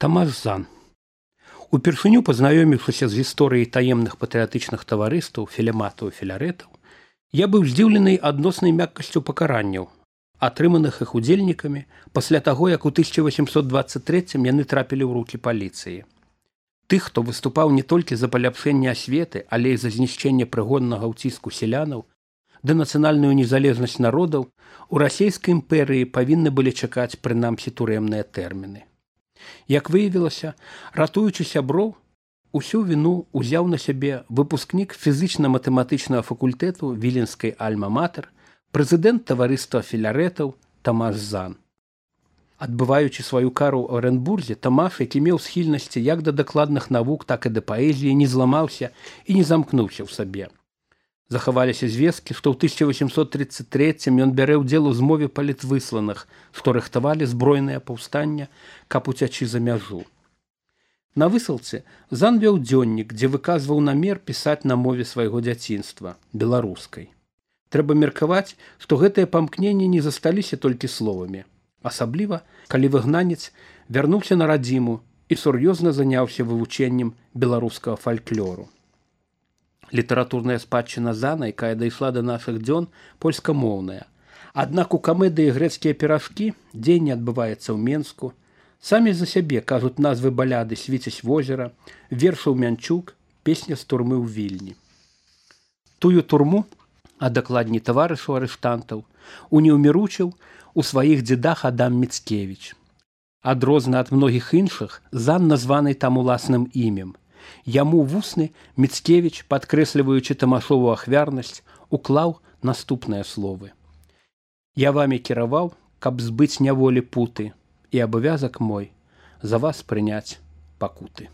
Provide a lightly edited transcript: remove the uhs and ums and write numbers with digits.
Тамаш Зан. Упершыню пазнаёміўшыся з гісторыяй таемных патрыятычных таварыстаў, філематаў і філярэтаў, я быў здзіўлены адноснай мяккасцю пакаранняў, атрыманых іх удзельнікамі пасля таго, як у 1823 яны трапілі ў рукі паліцыі. Тых, хто выступаў не толькі за паляпшэнне асветы, але і за знішчэнне прыгоннага ўціску селянаў ды нацыянальную незалежнасць народаў, у расійскай імперыі павінны былі чакаць прынамсі турэмныя тэрміны. Як выявілася, ратуючы сяброў, усю віну ўзяў на сябе выпускнік фізічна-матэматычнага факультэту Віленскай альма-матэр, прэзідэнт таварыства філярэтаў Тамаш Зан. Адбываючы сваю кару ў Арэнбурзе, Тамаш, які меў схільнасці як да дакладных навук, так і да паэзіі, не зламаўся і не замкнуўся ў сабе. Захаваліся звесткі, што ў 1833 ён бярэ ўдзел у змове палітвысланых, што рыхтавалі збройнае паўстанне, каб уцячы за мяжу. На высылцы Зан вёў дзённік, дзе выказваў намер пісаць на мове свайго дзяцінства, беларускай. Трэба меркаваць, што гэтыя памкненні не засталіся толькі словамі, асабліва, калі выгнанец вярнуўся на радзіму і сур'ёзна заняўся вывучэннем беларускага фальклору. Літаратурная спадчына Зана, якая дайшла да нашых дзён, польскамоўная. Аднак у камедыі «Грэцкія піражкі» дзеянне адбываецца ў Менску. Самі за сябе кажуць назвы баляды «Свіцязь возера», вершаў «Мянчук», песня з турмы ў Вільні. Тую турму, а дакладней таварышу арыштантаў, унеўміручыў у сваіх дзедах Адам Міцкевіч. Адрозна ад многіх іншых, Зан названы там уласным імем. Яму вусны Міцкевіч, падкрэсліваючы Тамашову ахвярнасць, уклаў наступныя словы. «Я вамі кіраваў, каб збыць няволі путы, і абавязак мой за вас прыняць пакуты».